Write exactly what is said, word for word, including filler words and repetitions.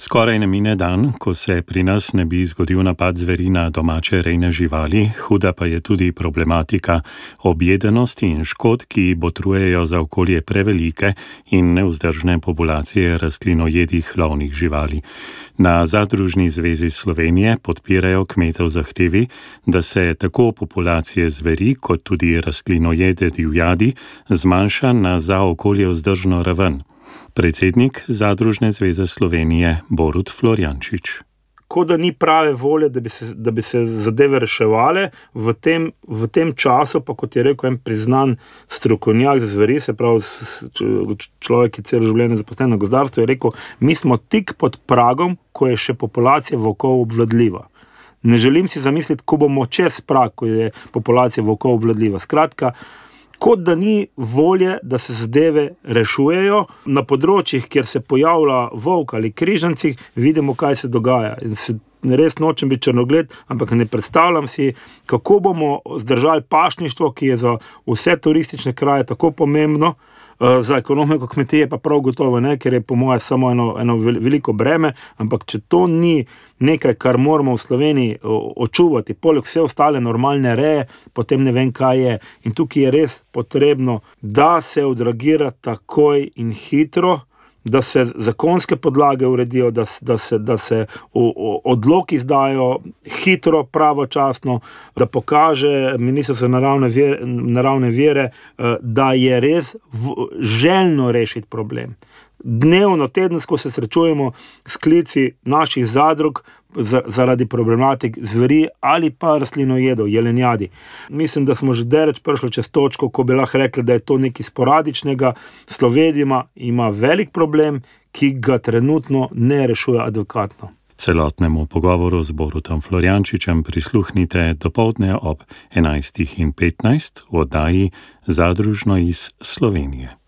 Skoraj ne mine dan, ko se pri nas ne bi zgodil napad zveri na domače rejne živali, huda pa je tudi problematika objedenosti in škod, ki botrujejo za okolje prevelike in nevzdržne populacije rastlinojedih lovnih živali. Na Zadružni zvezi Slovenije podpirajo kmete v zahtevi, da se tako populacije zveri kot tudi rastlinojede divjadi zmanjša na za okolje vzdržno raven. Predsednik Zadružne zveze Slovenije Borut Florjančič. Kot da ni prave volje, da bi se, da bi se zadeve reševale v tem, v tem času, pa kot je rekel en priznan strokovnjak za zveri, se pravi človek, ki celo življenje zaposlen na gozdarstvu, je rekel, mi smo tik pod pragom, ko je še populacija volkov obvladljiva. Ne želim si zamisliti, ko bomo čez prag, ko je populacija volkov obvladljiva. Skratka, kot da ni volje, da se zadeve rešujejo. Na področjih, kjer se pojavlja volk ali križanci, vidimo, kaj se dogaja. In se res nočem biti črnogled, ampak ne predstavljam si, kako bomo zdržali pašništvo, ki je za vse turistične kraje tako pomembno, za ekonomiko kmetije pa prav gotovo ne, ker je po moje samo eno, eno veliko breme, ampak če to ni nekaj, kar moramo v Sloveniji očuvati, poleg vse ostale normalne reje, potem ne vem, kaj je. In tukaj je res potrebno, da se odreagira takoj in hitro, da se zakonske podlage uredijo, da, da se, da se o, o, odloki izdajo hitro, pravočasno, da pokaže Ministrstvo za naravne vire, naravne vire, da je res v, željno rešiti problem. Dnevno, tedensko se srečujemo s klici naših zadrug zaradi problematik zveri ali pa rastlinojedov, jelenjadi. Mislim, da smo že daleč prišli čez točko, ko bi lahko rekli, da je to nekaj sporadičnega. Slovenija ima velik problem, ki ga trenutno ne rešuje adekvatno. Celotnemu pogovoru z Borutom Florjančičem prisluhnite dopoldne ob enajstih in petnajst v oddaji Zadružno iz Slovenije.